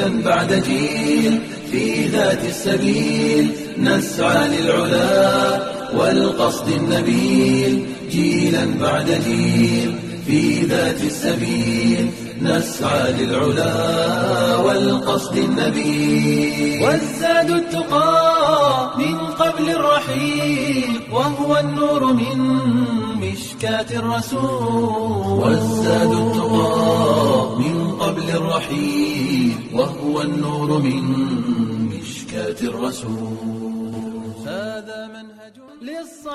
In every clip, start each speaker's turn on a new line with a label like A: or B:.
A: جيلا بعد جيل في ذات السبيل نسعى للعلا والقصد النبيل جيلا بعد جيل في ذات السبيل نسعى للعلا والقصد النبيل والزاد التقى من قبل الرحيل وهو النور من مشكاة الرسول والزاد التقى من قبل الرحيل وهو النور من مشكاة الرسول. هذا منهج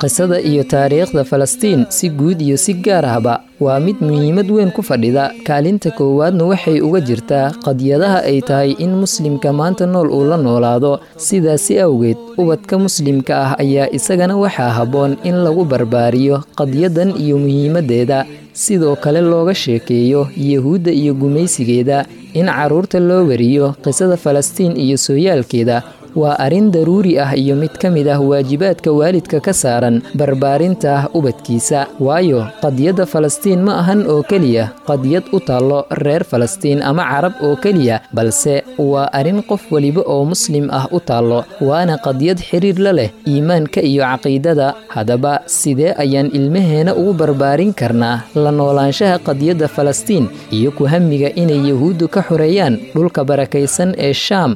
B: Qisada iyo taariikhda Falastiin si guud iyo si gaar ahba waa mid muhiimad weyn ku fadhida. Kaalinta koowaadna waxay uga jirtaa qadiyadaha ay tahay in muslimka maanta nool uu la noolaado. Sidaasi awgeed, ubadka muslimka ah ayaa isagana waxaa habboon in lagu barbaariyo qadiyadan iyo muhiimaddeeda, sidoo kale looga sheekeeyo Yahuudda iyo gumaysigeeda. In carruurta loo wariyo qisada Falastiin iyo sooyaalkeeda waa arrin daruuri ah iyo mid ka mid ah waajibaadka waalidka ka saaran barbaarinta ubadkiisa, waayo qadiyadda Falastiin ma ahan oo keliya qadiyad u taallo reer Falastiin ama Carab oo keliya, balse waa arrin qof weliba oo muslim ah u taallo, waana qadiyad xiriir la leh iimaanka iyo caqiidada. Haddaba, sidee ayaan ilmaheena ugu barbaarin karnaa la noolaanshaha qadiyadda Falastiin iyo ku hamiga inay Yahuuddu ka xoreeyaan dhulka barakaysan ee Shaam?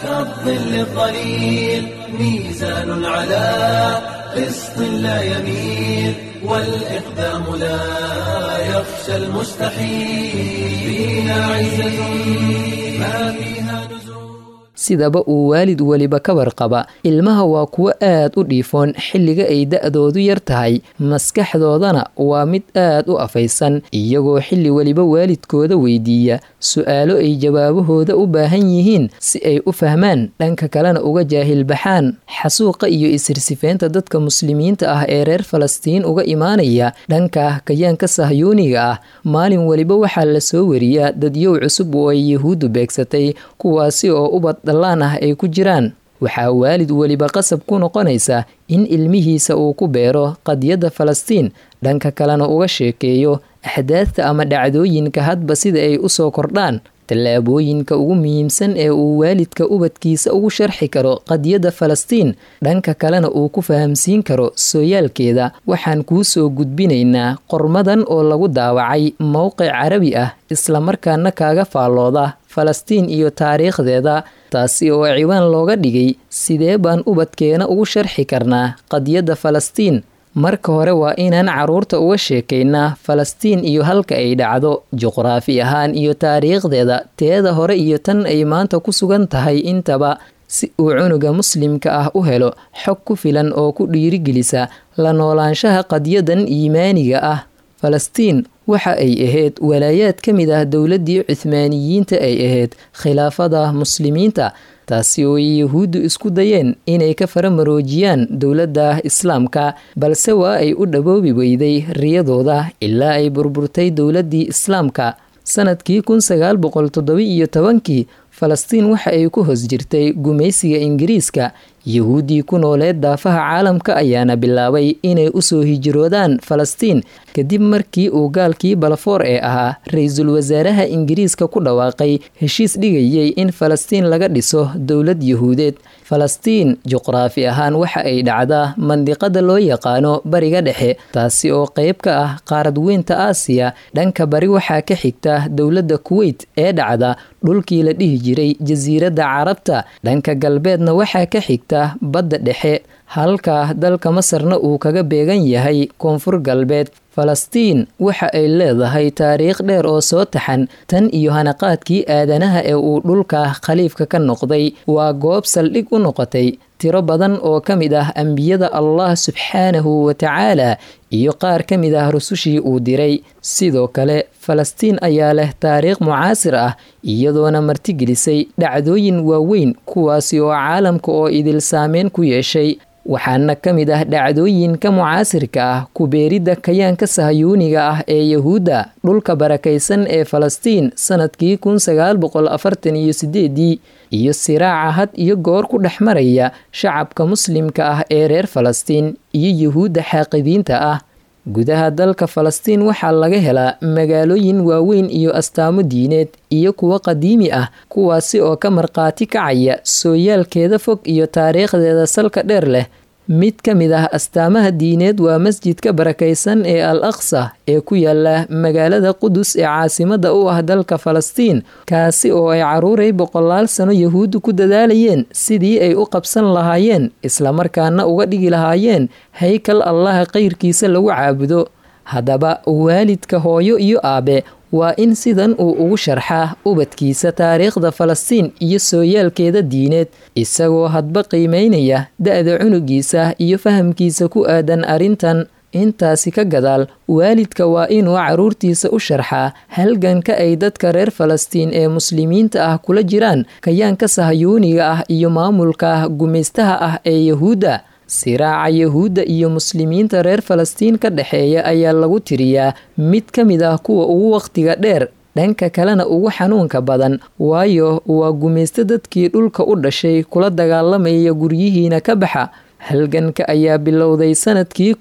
A: كالظل الظليل ميزان على قسط لا يميل والإقدام لا يخشى المستحيل فينا عزة ما فيها نزول.
B: Sidaba uu waalid weliba ka warqaba, ilmaha waa kuwo aad u dhiifoon xilliga ay da'doodu yar tahay, maskaxdoodana waa mid aad u afaysan, iyagoo xilli weliba waalidkooda weydiiya su'aalo ay jawaabahooda u baahan yihiin si ay u fahmaan, dhanka kalena uga jaahilbaxaan xasuuqa iyo isirsifeynta dadka muslimiinta ah ee reer Falastiin uga imaanaya dhanka kayaanka Sahyuuniga ah. Maalin weliba waxaa la soo wariyaa dadyow cusub oo ay Yahuuddu beegsatay, kuwaasi oo ubad dhallaan ah ay ku jiraan. Waxaa waalid weliba qasab ku noqonaysa in ilmihiisa uu ku beero qadiyadda Falastiin, dhanka kalena uga sheekeeyo axdaadta ama dhacdooyinka hadba sida ay usoo kordhaan. Tallaabooyinka ugu muhiimsan ee uu waalidka ubadkiisa ugu sharxi karo qadiyadda Falastiin, dhanka kalena uu ku fahamsiin karo sooyaalkeeda, waxaan kuu soo gudbinaynaa qormadan oo lagu daawacay mowqic Carabi ah, islamarkaana kaaga faallooda Falastiin iyo taariikhdeeda, taasi oo ciwaan looga dhigay "Sidee baan ubadkeena ugu sharxi karnaa qadiyadda Falastiin?" Marka hore, waa inaan carruurta uga sheekaynaa Falastiin iyo halka ay dhacdo juqraafi ahaan iyo taariikhdeeda, teeda hore iyo tan ay maanta ku sugan tahay intaba, si uu cunuga muslimka ah u helo xog ku filan oo ku dhiirigelisa la noolaanshaha qadiyadan iimaaniga ah. Falastiin waxa ay ahayd walaayaad ka mid ah dowladdii Cuthmaaniyiinta ay ahayd khilaafada muslimiinta, taasi oo ay Yahuuddu isku dayeen inay ka faramaroojiyaan dowladda islaamka, balse waa ay u dhaboobi weyday riyadooda ilaa ay burburtay dowladdii islaamka sanadkii 1917-kii. Falastiin waxa ay ku hoos jirtay gumaysiga Ingiriiska. Yahuuddii ku nooleed daafaha caalamka ayaana bilaabay inay usoo hijroodaan Falastiin kadib markii uu gaalkii Balafoor ee ahaa ra-iisul wasaaraha Ingiriiska ku dhawaaqay heshiis dhigayay in Falastiin laga dhiso dowlad Yahuudeed. Falastiin juqraafi ahaan waxa ay dhacdaa mandiqada loo yaqaano Bariga Dhexe, taasi oo qayb ka ah qaarad weynta Aasiya. Dhanka bari waxaa ka xigta dowladda Kuweyt ee dhacda dhulkii la dhihi jiray Jasiiradda Carabta, dhanka galbeedna waxaa ka xigta Badda Dhexe, halka dalka Masarna uu kaga beegan yahay koonfur galbeed. Falastiin waxa ay leedahay taariikh dheer oo soo taxan tan iyo hanaqaadkii aadanaha ee uu dhulka khaliifka ka noqday. Waa goob saldhig u noqotay tiro badan oo ka mid ah ambiyada Allah subxaanahu wa tacaala iyo qaar ka mid ah rusushii uu diray. Sidoo kale, Falastiin ayaa leh taariikh mucaasir ah, iyadoona martigelisay dhacdooyin waaweyn, kuwaasi oo caalamka oo idil saameyn ku yeeshay. Waxaana ka mid ah dhacdooyinka mucaasirka ah ku beeridda kayaanka Sahyuuniga ah ee Yahuudda dhulka barakaysan ee Falastiin sanadkii 1948-dii iyo siraaca had iyo goor ku dhex maraya shacabka muslimka ah ee reer Falastiin iyo Yahuudda xaaqidiinta ah. Gudaha dalka Falastiin waxaa laga helaa magaalooyin waaweyn iyo astaamo diineed iyo kuwo qadiimi ah, kuwaasi oo ka markhaati kacaya sooyaalkeeda fog iyo taariikhdeeda salka dheer leh. Mid ka mid ah astaamaha diineed waa masjidka barakaysan ee Al Aqsa ee ku yaala magaalada Qudus ee caasimada u ah dalka Falastiin, kaasi oo ay caruuray boqolaal sano Yahuuddu ku dadaalayeen sidii ay u qabsan lahaayeen islamarkaana uga dhigi lahaayeen haykal Allaha qeyrkiisa lagu caabudo. Haddaba waalidka hooyo iyo aabe waa in sidan uu ugu sharxaa ubadkiisa taariikhda Falastiin iyo sooyaalkeeda diineed, isagoo hadba qiimeynaya da-da cunugiisa iyo fahamkiisa ku aadan arrintan. Intaasi ka gadaal, waalidka waa inuu caruurtiisa u sharxaa halganka ay dadka reer Falastiin ee muslimiinta ah kula jiraan kayaanka sahayuuniga ah iyo maamulka gumaystaha ah ee Yahuudda. Siraaca Yahuudda iyo muslimiinta reer Falastiin ka dhexeeya ayaa lagu tiriyaa mid ka mid ah kuwa ugu waqtiga dheer, dhanka kalena ugu xanuunka badan, waayo waa gumaysto dadkii dhulka u dhashay kula dagaalamaya guryihiina ka baxa. Halganka ayaa bilowday sanadkii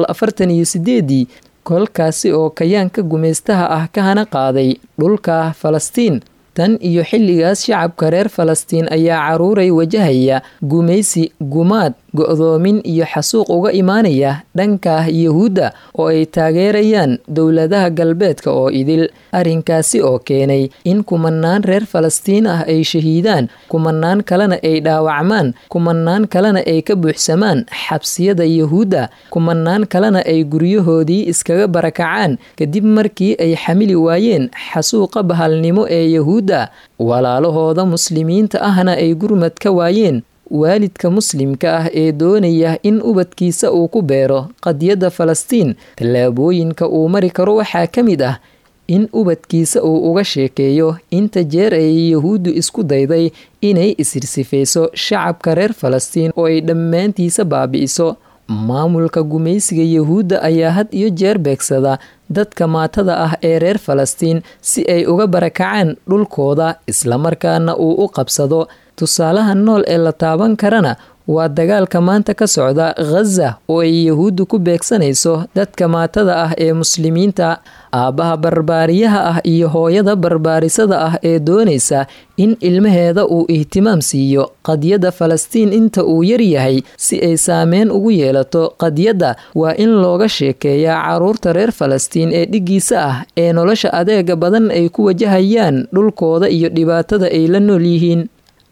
B: 1948, kolkaasi oo kayaanka gumaystaha ah ka hana qaaday dhulka Falastiin. Tan iyo xilligaas shacabka reer Falastiin ayaa caruuray wajahaya gumaysi, gumaad, go'doomin iyo xasuuq uga imaanaya dhanka Yahuudda oo ay taageerayaan dowladaha galbeedka oo idil. Arrinkaasi oo keenay in kumanaan reer Falastiin ah ay shahiidaan, kumanaan kalena ay dhaawacmaan, kumanaan kalena ay ka buuxsamaan xabsiyada Yahuudda, kumanaan kalena ay guryahoodii iskaga barakacaan kadib markii ay xamili waayeen xasuuqa bahalnimo ee Yahuudda, walaalahooda muslimiinta ahna ay gurmad ka waayeen. Waalidka muslimka ah ee doonaya in ubadkiisa uu ku beero qadiyadda Falastiin, tallaabooyinka uu mari karo waxaa ka mid ah in ubadkiisa uu uga sheekeeyo inta jeer ay Yahuuddu isku dayday inay isirsifayso shacabka reer Falastiin oo ay dhammaantiisa baabi'iso. Maamulka gumaysiga Yahuudda ayaa had iyo jeer beegsada dadka maatada ah ee reer Falastiin si ay uga barakacaan dhulkooda islamarkaana uu u qabsado. Tusaalaha nool ee la taaban karana waa dagaalka maanta ka socda Ghaza oo ay Yahuuddu ku beegsanayso dadka maatada ah ee muslimiinta. Aabbaha barbaariyaha ah iyo hooyada barbaarisada ah ee doonaysa in ilmaheeda uu ihtimaam siiyo qadiyadda Falastiin inta uu yar yahay si ay saameyn ugu yeelato qadiyadda, waa in looga sheekeeyaa caruurta reer Falastiin ee dhiggiisa ah ee nolosha adeega badan ay ku wajahayaan dhulkooda iyo dhibaatada ay la nool yihiin.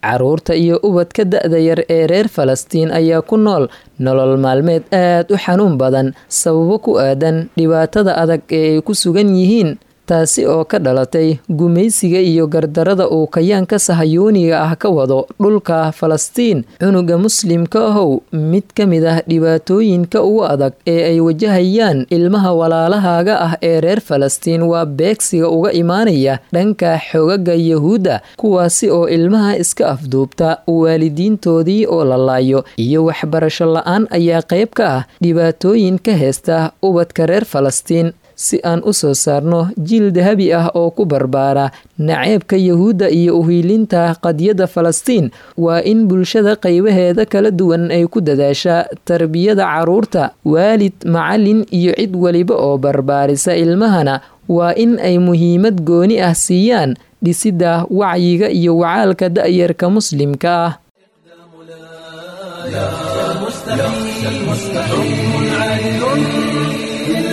B: Caruurta iyo ubadka da-da yar ee reer Falastiin ayaa ku nool nolol maalmeed aad u xanuun badan sababo ku aadan dhibaatada adag ee ay ku sugan yihiin, taasi oo ka dhalatay gumaysiga iyo gardarada uu kayaanka sahayuuniga ah ka wado dhulka Falastiin. Cunuga muslimka ahow, mid ka mid ah dhibaatooyinka ugu adag ee ay wajahayaan ilmaha walaalahaaga ah ee reer Falastiin waa beegsiga uga imaanaya dhanka xogaga Yahuudda, kuwaasi oo ilmaha iska afduubta waalidiintoodii oo la laayo iyo waxbarasho la-aan ayaa qayb ka ah dhibaatooyin ka heysta ubadka reer Falastiin. Si aan u soo saarno jiil dahabi ah oo ku barbaara naceebka Yahuudda iyo uhiilinta qadiyadda Falastiin, waa in bulshada qaybaheeda kala duwan ay ku dadaashaa tarbiyada caruurta. Waalid, macallin iyo cid waliba oo barbaarisa ilmahana waa in ay muhiimad gooni ah siiyaan dhisidda wacyiga iyo wacaalka da'yarka muslimka ah.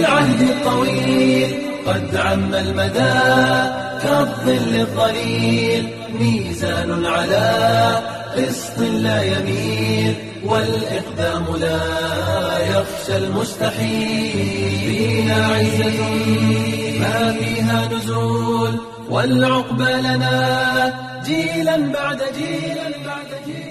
A: العهد الطويل قد عم المدى كالظل الظليل، ميزان على قسط لا يميل، والإقدام لا يخشى المستحيل. فينا عزة ما فيها نزول، والعقبى لنا جيلا بعد جيل بعد جيل.